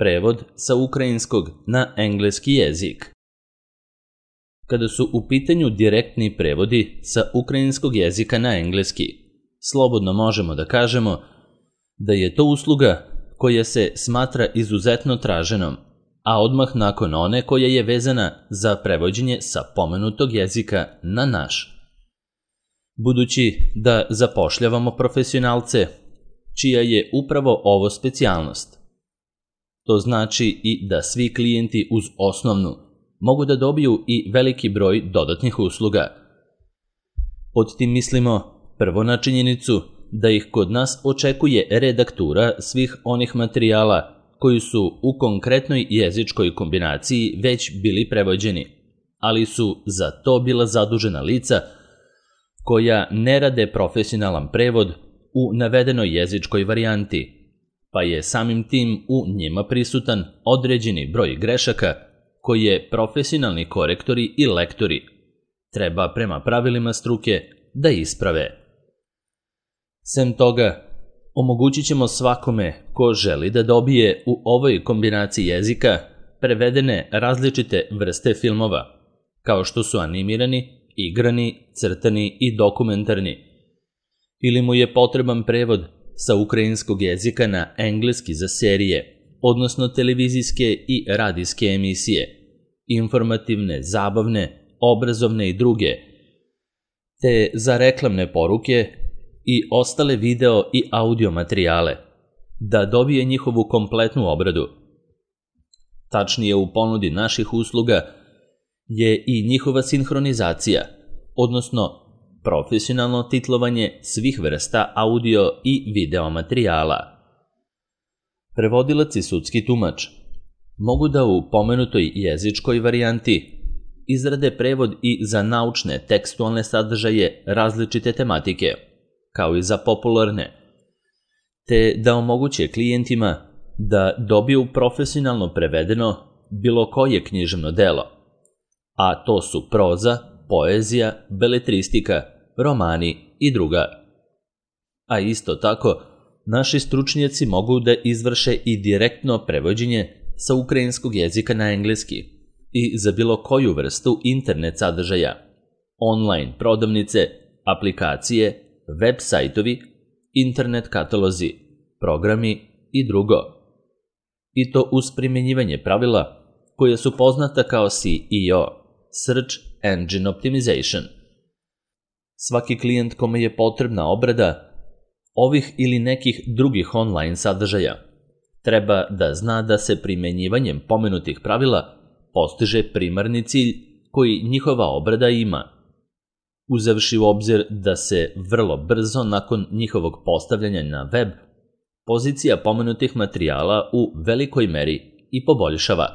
Prevod sa ukrajinskog na engleski jezik. Kada su u pitanju direktni prevodi sa ukrajinskog jezika na engleski, slobodno možemo da kažemo da je to usluga koja se smatra izuzetno traženom, a odmah nakon one koja je vezana za prevođenje sa pomenutog jezika na naš. Budući da zapošljavamo profesionalce, čija je upravo ovo specijalnost. To znači i da svi klijenti uz osnovnu mogu da dobiju i veliki broj dodatnih usluga. Pod tim mislimo prvo na činjenicu da ih kod nas očekuje redaktura svih onih materijala koji su u konkretnoj jezičkoj kombinaciji već bili prevođeni, ali su za to bila zadužena lica koja ne rade profesionalan prevod u navedenoj jezičkoj varijanti, pa je samim tim u njima prisutan određeni broj grešaka koje profesionalni korektori i lektori treba prema pravilima struke da isprave. Sem toga, omogućit ćemo svakome ko želi da dobije u ovoj kombinaciji jezika prevedene različite vrste filmova, kao što su animirani, igrani, crtani i dokumentarni, ili mu je potreban prevod sa ukrajinskog jezika na engleski za serije, odnosno televizijske i radijske emisije, informativne, zabavne, obrazovne i druge, te za reklamne poruke i ostale video i audio materijale, da dobije njihovu kompletnu obradu. Tačnije, u ponudi naših usluga je i njihova sinhronizacija, odnosno profesionalno titlovanje svih vrsta audio i video materijala. Prevodilac i sudski tumač mogu da u pomenutoj jezičkoj varijanti izrade prevod i za naučne tekstualne sadržaje različite tematike, kao i za popularne, te da omoguće klijentima da dobiju profesionalno prevedeno bilo koje književno delo, a to su proza, poezija, beletristika, romani i druga. A isto tako, naši stručnjaci mogu da izvrše i direktno prevođenje sa ukrajinskog jezika na engleski i za bilo koju vrstu internet sadržaja, online prodavnice, aplikacije, web sajtovi, internet katalozi, programi i drugo. I to uz primjenjivanje pravila koja su poznata kao SEO, Search Engine Optimization. Svaki klijent kome je potrebna obrada ovih ili nekih drugih online sadržaja treba da zna da se primenjivanjem pomenutih pravila postiže primarni cilj koji njihova obrada ima, uzevši u obzir da se vrlo brzo nakon njihovog postavljanja na web pozicija pomenutih materijala u velikoj meri i poboljšava.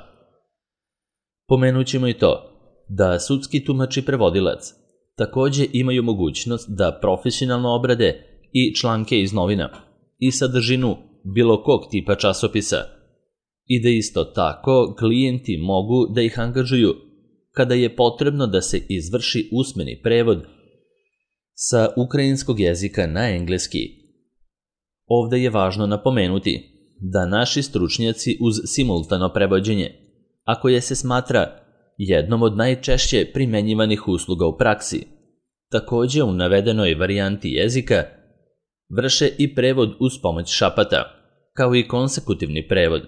Pomenućemo i to da sudski tumač i prevodilac takođe imaju mogućnost da profesionalno obrade i članke iz novina i sadržinu bilo kog tipa časopisa i da isto tako klijenti mogu da ih angažuju kada je potrebno da se izvrši usmeni prevod sa ukrajinskog jezika na engleski. Ovde je važno napomenuti da naši stručnjaci uz simultano prevođenje, a koje se smatra jednom od najčešće primenjivanih usluga u praksi, takođe u navedenoj varijanti jezika vrše i prevod uz pomoć šapata, kao i konsekutivni prevod.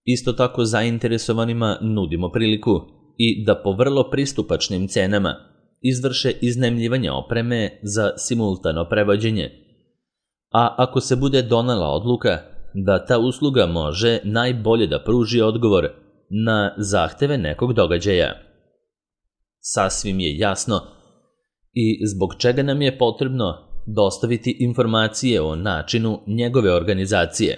Isto tako zainteresovanima nudimo priliku i da po vrlo pristupačnim cenama izvrše iznajmljivanje opreme za simultano prevođenje, a ako se bude donela odluka da ta usluga može najbolje da pruži odgovor na zahteve nekog događaja. Sasvim je jasno i zbog čega nam je potrebno dostaviti informacije o načinu njegove organizacije,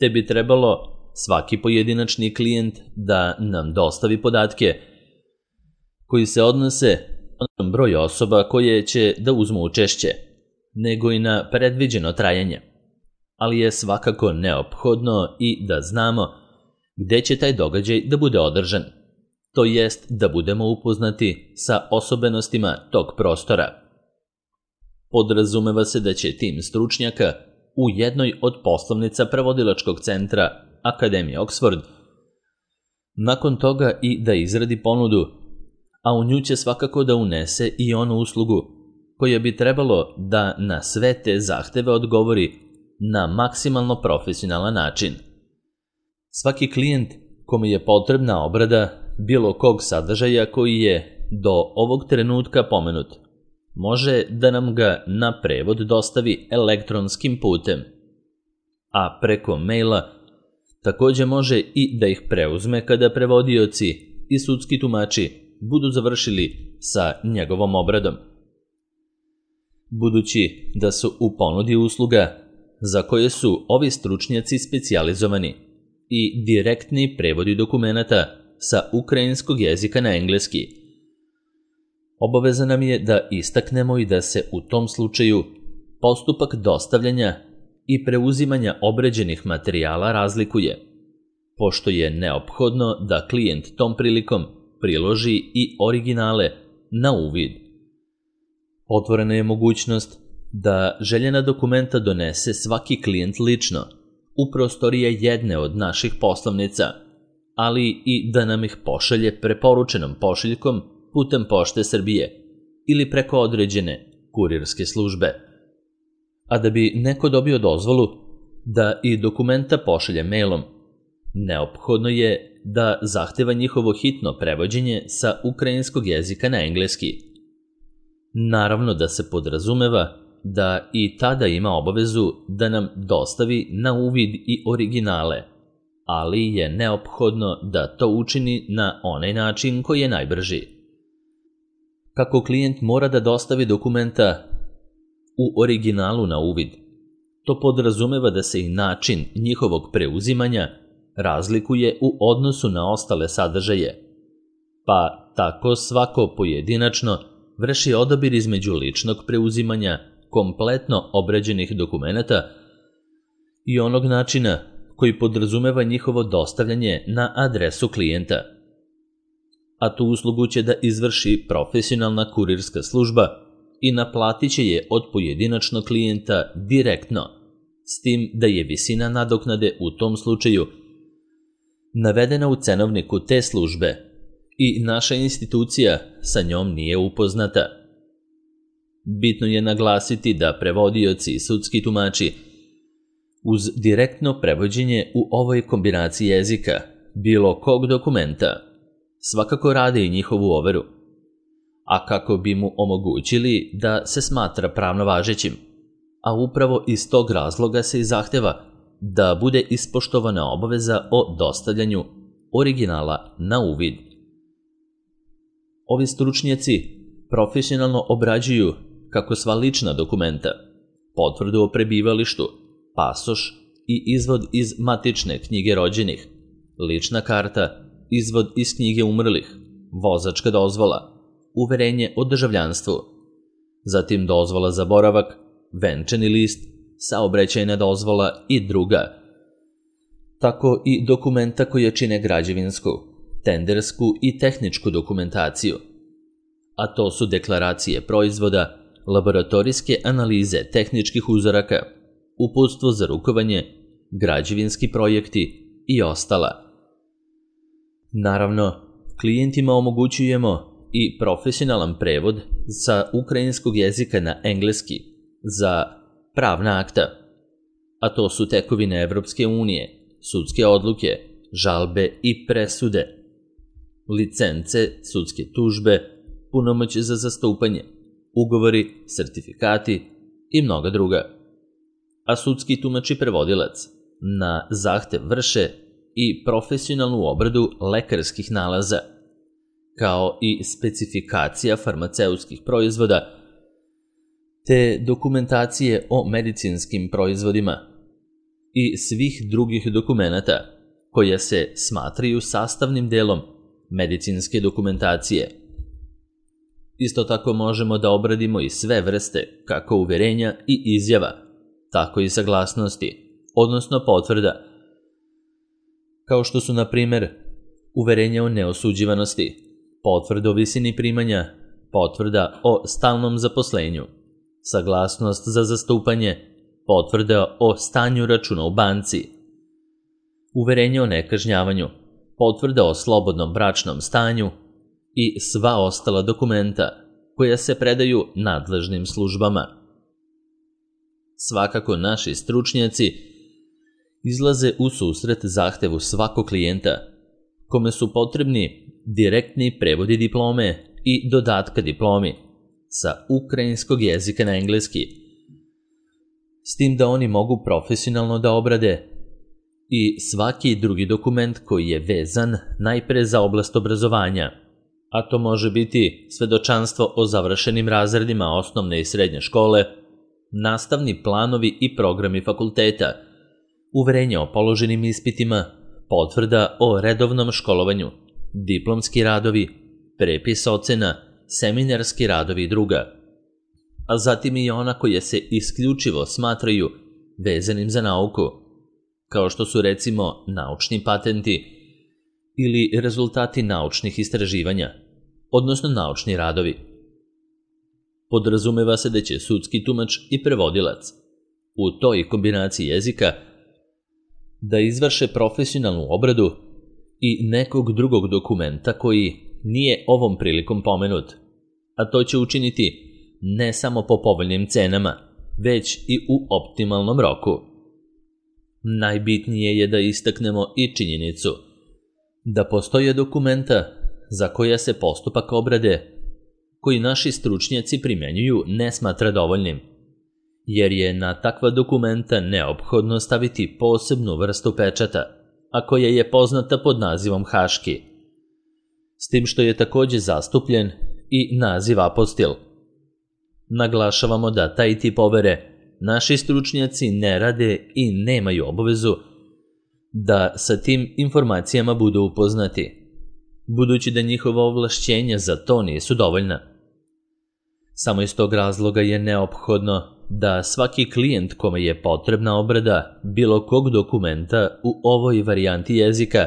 te bi trebalo svaki pojedinačni klijent da nam dostavi podatke koji se odnose na broj osoba koje će da uzmu učešće, nego i na predviđeno trajanje, ali je svakako neophodno i da znamo gde će taj događaj da bude održan, to jest da budemo upoznati sa osobenostima tog prostora. Podrazumeva se da će tim stručnjaka u jednoj od poslovnica prevodilačkog centra Akademije Oxford, nakon toga i da izradi ponudu, a u nju će svakako da unese i onu uslugu koja bi trebalo da na sve te zahteve odgovori na maksimalno profesionalan način. Svaki klijent kome je potrebna obrada bilo kog sadržaja koji je do ovog trenutka pomenut, može da nam ga na prevod dostavi elektronskim putem, a preko maila takođe može i da ih preuzme kada prevodioci i sudski tumači budu završili sa njegovom obradom. Budući da su u ponudi usluga za koje su ovi stručnjaci specijalizovani i direktni prevodi dokumenata sa ukrajinskog jezika na engleski, obaveza nam je da istaknemo i da se u tom slučaju postupak dostavljanja i preuzimanja obrađenih materijala razlikuje, pošto je neophodno da klijent tom prilikom priloži i originale na uvid. Otvorena je mogućnost da željena dokumenta donese svaki klijent lično u prostorije jedne od naših poslovnica, ali i da nam ih pošalje preporučenom pošiljkom putem Pošte Srbije ili preko određene kurirske službe. A da bi neko dobio dozvolu da i dokumenta pošalje mailom, neophodno je da zahteva njihovo hitno prevođenje sa ukrajinskog jezika na engleski. Naravno da se podrazumeva da i tada ima obavezu da nam dostavi na uvid i originale, ali je neophodno da to učini na onaj način koji je najbrži. Kako klijent mora da dostavi dokumenta u originalu na uvid, to podrazumeva da se i način njihovog preuzimanja razlikuje u odnosu na ostale sadržaje, pa tako svako pojedinačno vrši odabir između ličnog preuzimanja kompletno obrađenih dokumenata i onog načina koji podrazumeva njihovo dostavljanje na adresu klijenta. A tu uslugu će da izvrši profesionalna kurirska služba i naplatit će je od pojedinačnog klijenta direktno, s tim da je visina nadoknade u tom slučaju navedena u cenovniku te službe i naša institucija sa njom nije upoznata. Bitno je naglasiti da prevodioci i sudski tumači uz direktno prevođenje u ovoj kombinaciji jezika bilo kog dokumenta svakako rade i njihovu overu, a kako bi mu omogućili da se smatra pravno važećim, a upravo iz tog razloga se i zahteva da bude ispoštovana obaveza o dostavljanju originala na uvid. Ovi stručnjaci profesionalno obrađuju kako sva lična dokumenta, potvrdu o prebivalištu, pasoš i izvod iz matične knjige rođenih, lična karta, izvod iz knjige umrlih, vozačka dozvola, uverenje o državljanstvu, zatim dozvola za boravak, venčani list, saobraćajna dozvola i druga, tako i dokumenta koja čine građevinsku, tendersku i tehničku dokumentaciju, a to su deklaracije proizvoda, laboratorijske analize tehničkih uzoraka, uputstvo za rukovanje, građevinski projekti i ostala. Naravno, klijentima omogućujemo i profesionalan prevod sa ukrajinskog jezika na engleski za pravna akta, a to su tekovine Evropske unije, sudske odluke, žalbe i presude, licence, sudske tužbe, punomoć za zastupanje, ugovori, sertifikati i mnoga druga. A sudski tumač i prevodilac na zahtev vrše i profesionalnu obradu lekarskih nalaza, kao i specifikacija farmaceutskih proizvoda, te dokumentacije o medicinskim proizvodima i svih drugih dokumenata koja se smatraju sastavnim delom medicinske dokumentacije. Isto tako možemo da obradimo i sve vrste kako uverenja i izjava, tako i saglasnosti, odnosno potvrda, kao što su, na primer, uverenje o neosuđivanosti, potvrda o visini primanja, potvrda o stalnom zaposlenju, saglasnost za zastupanje, potvrda o stanju računa u banci, uverenje o nekažnjavanju, potvrda o slobodnom bračnom stanju i sva ostala dokumenta koja se predaju nadležnim službama. Svakako naši stručnjaci izlaze u susret zahtevu svakog klijenta, kome su potrebni direktni prevodi diplome i dodatka diplomi sa ukrajinskog jezika na engleski, s tim da oni mogu profesionalno da obrade i svaki drugi dokument koji je vezan najpre za oblast obrazovanja, a to može biti svedočanstvo o završenim razredima osnovne i srednje škole, nastavni planovi i programi fakulteta, uverenje o položenim ispitima, potvrda o redovnom školovanju, diplomski radovi, prepis ocena, seminarski radovi i druga, a zatim i ona koje se isključivo smatraju vezanim za nauku, kao što su recimo naučni patenti ili rezultati naučnih istraživanja, odnosno naučni radovi. Podrazumeva se da će sudski tumač i prevodilac u toj kombinaciji jezika da izvrše profesionalnu obradu i nekog drugog dokumenta koji nije ovom prilikom pomenut, a to će učiniti ne samo po povoljnim cenama, već i u optimalnom roku. Najbitnije je da istaknemo i činjenicu da postoje dokumenta za koja se postupak obrade koji naši stručnjaci primenjuju ne smatra dovoljnim, jer je na takva dokumenta neophodno staviti posebnu vrstu pečata, a koja je poznata pod nazivom haški, s tim što je takođe zastupljen i naziv apostil. Naglašavamo da taj tip overe naši stručnjaci ne rade i nemaju obavezu da sa tim informacijama budu upoznati, budući da njihova ovlašćenja za to nisu dovoljna. Samo iz tog razloga je neophodno da svaki klijent kome je potrebna obrada bilo kog dokumenta u ovoj varijanti jezika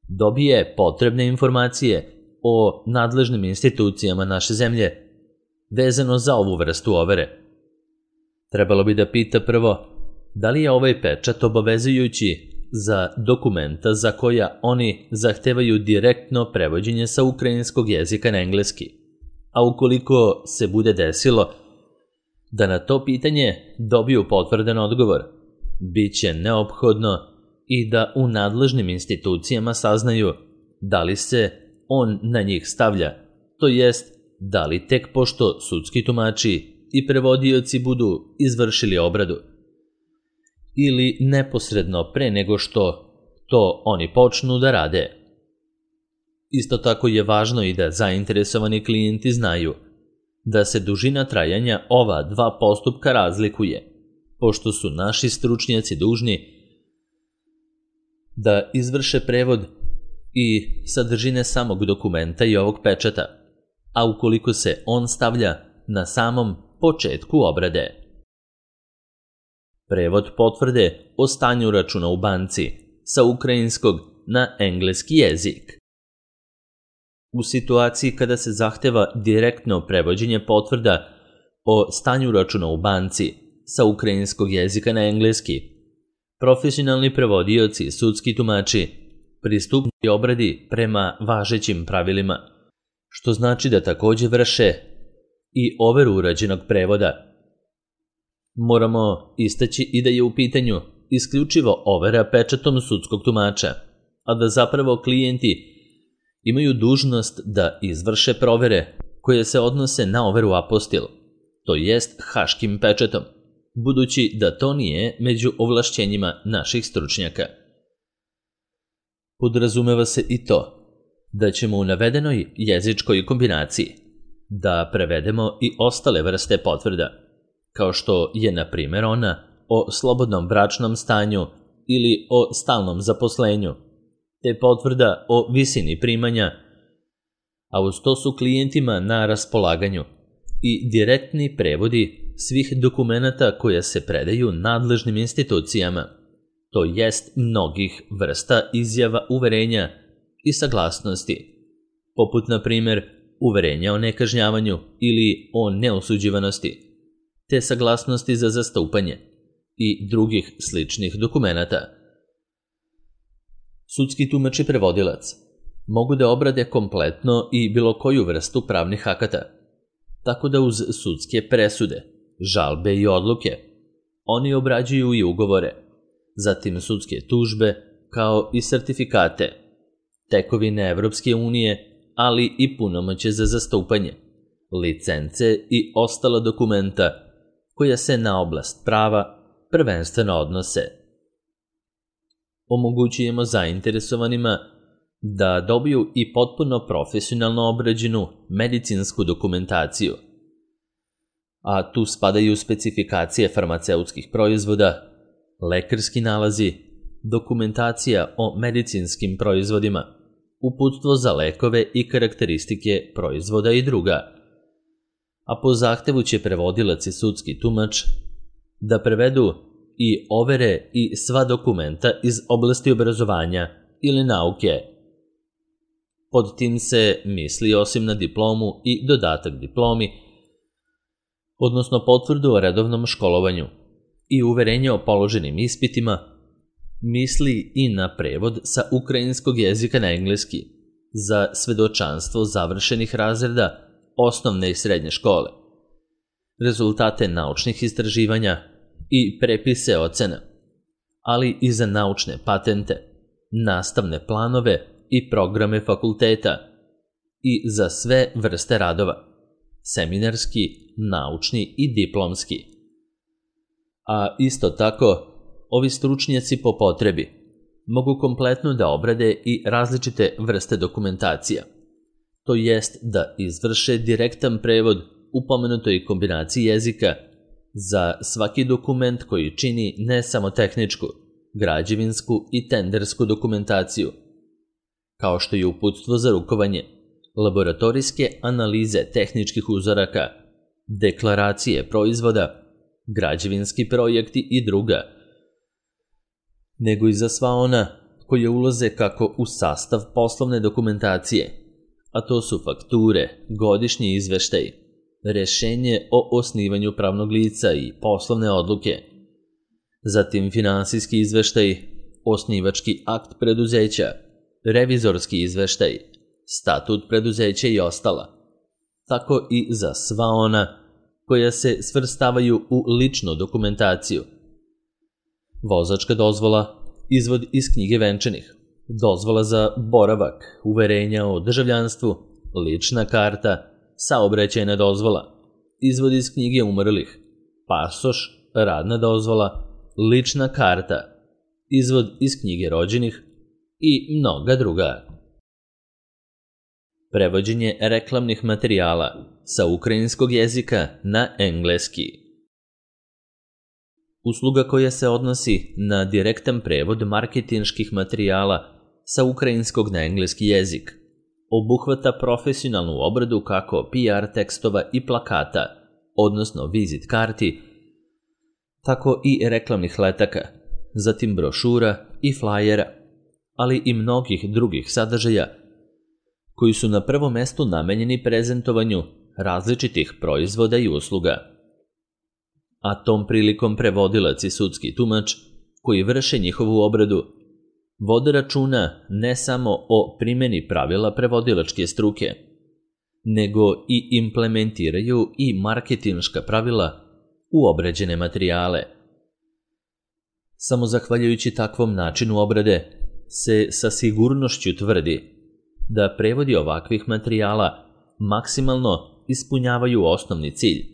dobije potrebne informacije o nadležnim institucijama naše zemlje vezano za ovu vrstu overe. Trebalo bi da pita prvo da li je ovaj pečat obavezujući za dokumenta za koja oni zahtevaju direktno prevođenje sa ukrajinskog jezika na engleski, a ukoliko se bude desilo da na to pitanje dobiju potvrdan odgovor, bit će neophodno i da u nadležnim institucijama saznaju da li se on na njih stavlja, to jest da li tek pošto sudski tumači i prevodioci budu izvršili obradu, ili neposredno pre nego što to oni počnu da rade. Isto tako je važno i da zainteresovani klijenti znaju da se dužina trajanja ova dva postupka razlikuje, pošto su naši stručnjaci dužni da izvrše prevod i sadržine samog dokumenta i ovog pečata, a ukoliko se on stavlja na samom početku obrade. Prevod potvrde o stanju računa u banci sa ukrajinskog na engleski jezik. U situaciji kada se zahteva direktno prevođenje potvrda o stanju računa u banci sa ukrajinskog jezika na engleski, profesionalni prevodioci i sudski tumači pristupaju obradi prema važećim pravilima, što znači da takođe vrše i overu urađenog prevoda. Moramo istaći i da je u pitanju isključivo overa pečatom sudskog tumača, a da zapravo klijenti imaju dužnost da izvrše provere koje se odnose na overu apostil, to jest haškim pečatom, budući da to nije među ovlašćenjima naših stručnjaka. Podrazumeva se i to da ćemo u navedenoj jezičkoj kombinaciji da prevedemo i ostale vrste potvrda, kao što je na primjer ona o slobodnom bračnom stanju ili o stalnom zaposlenju, te potvrda o visini primanja, a uz to su klijentima na raspolaganju i direktni prevodi svih dokumenata koje se predaju nadležnim institucijama, to jest mnogih vrsta izjava uverenja i saglasnosti, poput na primjer uverenja o nekažnjavanju ili o neosuđivanosti, te saglasnosti za zastupanje i drugih sličnih dokumenata. Sudski tumač i prevodilac mogu da obrade kompletno i bilo koju vrstu pravnih akata, tako da uz sudske presude, žalbe i odluke oni obrađuju i ugovore, zatim sudske tužbe kao i sertifikate, tekovine Evropske unije, ali i punomoćje za zastupanje, licence i ostala dokumenta koja se na oblast prava prvenstveno odnose. Omogućujemo zainteresovanima da dobiju i potpuno profesionalno obrađenu medicinsku dokumentaciju, a tu spadaju specifikacije farmaceutskih proizvoda, lekarski nalazi, dokumentacija o medicinskim proizvodima, uputstvo za lekove i karakteristike proizvoda i druga. A po zahtevu će prevodilac i sudski tumač da prevedu i overe i sva dokumenta iz oblasti obrazovanja ili nauke. Pod tim se misli osim na diplomu i dodatak diplomi, odnosno potvrdu o redovnom školovanju i uverenje o položenim ispitima, misli i na prevod sa ukrajinskog jezika na engleski za svedočanstvo završenih razreda osnovne i srednje škole, rezultate naučnih istraživanja i prepise ocena, ali i za naučne patente, nastavne planove i programe fakulteta i za sve vrste radova, seminarski, naučni i diplomski. A isto tako, ovi stručnjaci po potrebi mogu kompletno da obrade i različite vrste dokumentacija, to jest da izvrše direktan prevod u pomenutoj kombinaciji jezika za svaki dokument koji čini ne samo tehničku, građevinsku i tendersku dokumentaciju, kao što je uputstvo za rukovanje, laboratorijske analize tehničkih uzoraka, deklaracije proizvoda, građevinski projekti i druga, nego i za sva ona koje ulaze kako u sastav poslovne dokumentacije, a to su fakture, godišnji izveštaj, rešenje o osnivanju pravnog lica i poslovne odluke, zatim finansijski izveštaj, osnivački akt preduzeća, revizorski izveštaj, statut preduzeća i ostala, tako i za sva ona koja se svrstavaju u ličnu dokumentaciju. Vozačka dozvola, izvod iz knjige venčanih, dozvola za boravak, uverenja o državljanstvu, lična karta, saobraćajna dozvola, izvod iz knjige umrlih, pasoš, radna dozvola, lična karta, izvod iz knjige rođenih i mnoga druga. Prevođenje reklamnih materijala sa ukrajinskog jezika na engleski. Usluga koja se odnosi na direktan prevod marketinških materijala sa ukrajinskog na engleski jezik obuhvata profesionalnu obradu kako PR tekstova i plakata, odnosno vizit karti, tako i reklamnih letaka, zatim brošura i flajera, ali i mnogih drugih sadržaja koji su na prvom mestu namenjeni prezentovanju različitih proizvoda i usluga. A tom prilikom prevodilac i sudski tumač koji vrše njihovu obradu vode računa ne samo o primjeni pravila prevodilačke struke, nego i implementiraju i marketinška pravila u obrađene materijale. Samo zahvaljujući takvom načinu obrade se sa sigurnošću tvrdi da prevodi ovakvih materijala maksimalno ispunjavaju osnovni cilj,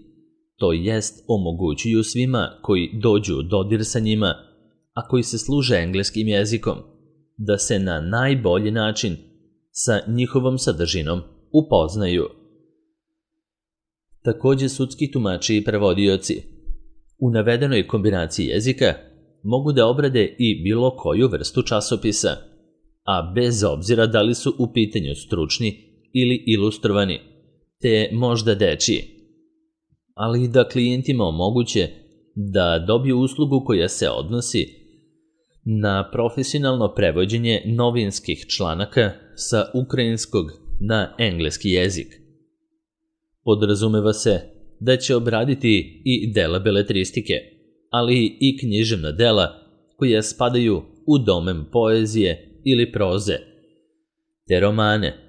to jest omogućuju svima koji dođu u dodir sa njima, a koji se služe engleskim jezikom, da se na najbolji način sa njihovom sadržinom upoznaju. Takođe, sudski tumači i prevodioci u navedenoj kombinaciji jezika mogu da obrade i bilo koju vrstu časopisa, a bez obzira da li su u pitanju stručni ili ilustrovani, te možda dečiji, ali i da klijentima omoguće da dobiju uslugu koja se odnosi na profesionalno prevođenje novinskih članaka sa ukrajinskog na engleski jezik. Podrazumeva se da će obraditi i dela beletristike, ali i književna dela koja spadaju u domen poezije ili proze, te romane,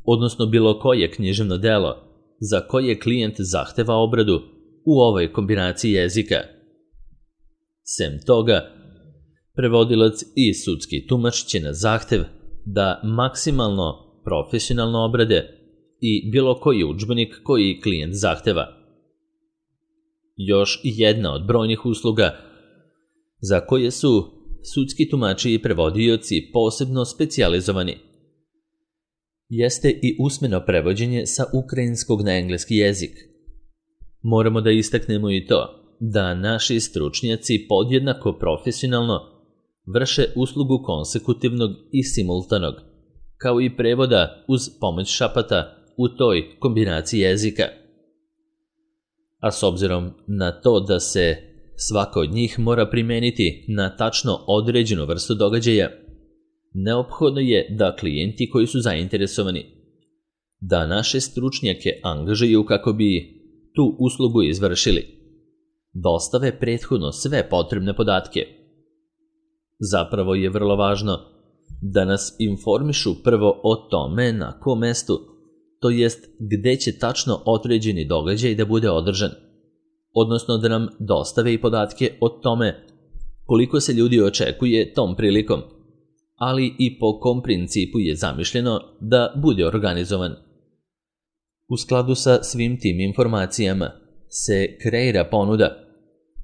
odnosno bilo koje književno delo za koje klijent zahteva obradu u ovoj kombinaciji jezika. Sem toga, prevodilac i sudski tumač će na zahtev da maksimalno profesionalno obrade i bilo koji udžbenik koji klijent zahteva. Još jedna od brojnih usluga za koje su sudski tumači i prevodioci posebno specijalizovani jeste i usmeno prevođenje sa ukrajinskog na engleski jezik. Moramo da istaknemo i to da naši stručnjaci podjednako profesionalno vrše uslugu konsekutivnog i simultanog, kao i prevoda uz pomoć šapata u toj kombinaciji jezika. A s obzirom na to da se svaka od njih mora primeniti na tačno određenu vrstu događaja, neophodno je da klijenti koji su zainteresovani da naše stručnjake angažuju kako bi tu uslugu izvršili, dostave prethodno sve potrebne podatke. Zapravo je vrlo važno da nas informišu prvo o tome na kom mestu, to jest gde će tačno određeni događaj da bude održan, odnosno da nam dostave i podatke o tome koliko se ljudi očekuje tom prilikom, ali i po kom principu je zamišljeno da bude organizovan. U skladu sa svim tim informacijama se kreira ponuda,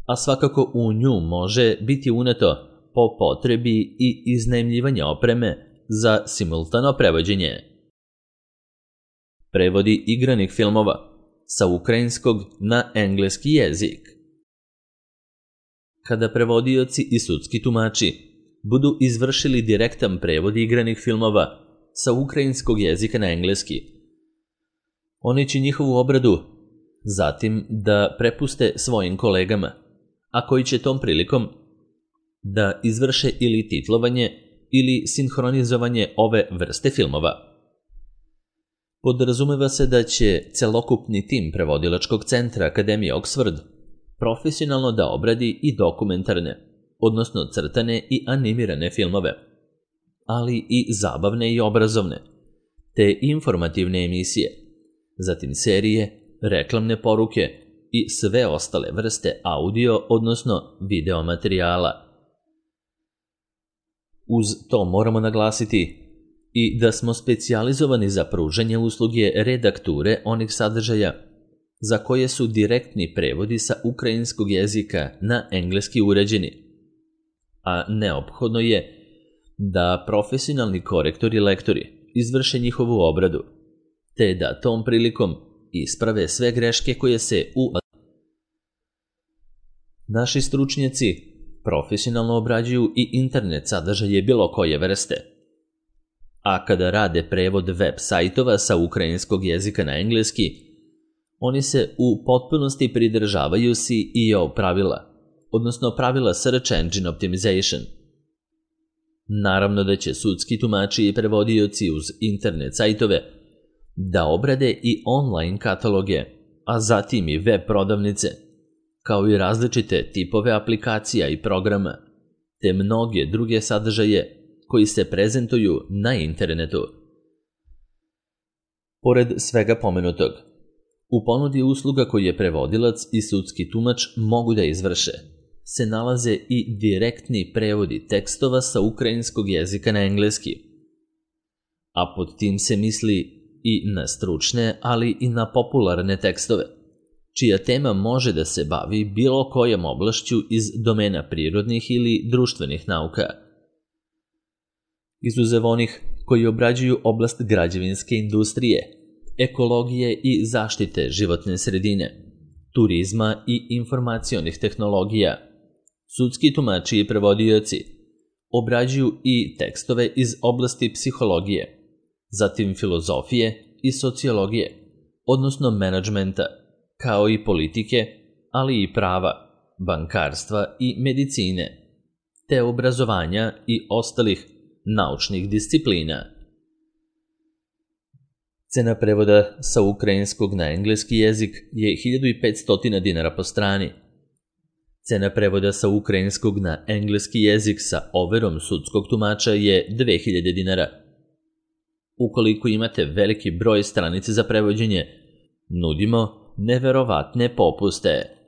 a svakako u nju može biti uneto po potrebi i iznajmljivanje opreme za simultano prevođenje. Prevodi igranih filmova sa ukrajinskog na engleski jezik. Kada prevodioci i sudski tumači budu izvršili direktan prevod igranih filmova sa ukrajinskog jezika na engleski, oni će njihovu obradu zatim da prepuste svojim kolegama, a koji će tom prilikom da izvrše ili titlovanje ili sinhronizovanje ove vrste filmova. Podrazumeva se da će celokupni tim prevodilačkog centra Akademije Oxford profesionalno da obradi i dokumentarne, odnosno crtane i animirane filmove, ali i zabavne i obrazovne, te informativne emisije, zatim serije, reklamne poruke i sve ostale vrste audio, odnosno video materijala. Uz to moramo naglasiti i da smo specijalizovani za pružanje usluge redakture onih sadržaja za koje su direktni prevodi sa ukrajinskog jezika na engleski uređeni, a neophodno je da profesionalni korektori i lektori izvrše njihovu obradu, te da tom prilikom isprave sve greške koje se Naši stručnjaci profesionalno obrađuju i internet sadržaje bilo koje vrste, a kada rade prevod web sajtova sa ukrajinskog jezika na engleski, oni se u potpunosti pridržavaju SEO pravila, odnosno pravila Search Engine Optimization. Naravno da će sudski tumači i prevodioci uz internet sajtove da obrade i online kataloge, a zatim i web prodavnice, kao i različite tipove aplikacija i programa, te mnoge druge sadržaje koji se prezentuju na internetu. Pored svega pomenutog, u ponudi usluga koju je prevodilac i sudski tumač mogu da izvrše se nalaze i direktni prevodi tekstova sa ukrajinskog jezika na engleski, a pod tim se misli i na stručne, ali i na popularne tekstove, čija tema može da se bavi bilo kojom oblašću iz domena prirodnih ili društvenih nauka. Izuzev onih koji obrađuju oblast građevinske industrije, ekologije i zaštite životne sredine, turizma i informacionih tehnologija, sudski tumači i prevodioci obrađuju i tekstove iz oblasti psihologije, zatim filozofije i sociologije, odnosno menadžmenta, kao i politike, ali i prava, bankarstva i medicine, te obrazovanja i ostalih naučnih disciplina. Cena prevoda sa ukrajinskog na engleski jezik je 1500 dinara po strani. Cena prevoda sa ukrajinskog na engleski jezik sa overom sudskog tumača je 2000 dinara. Ukoliko imate veliki broj stranica za prevođenje, nudimo neverovatne popuste.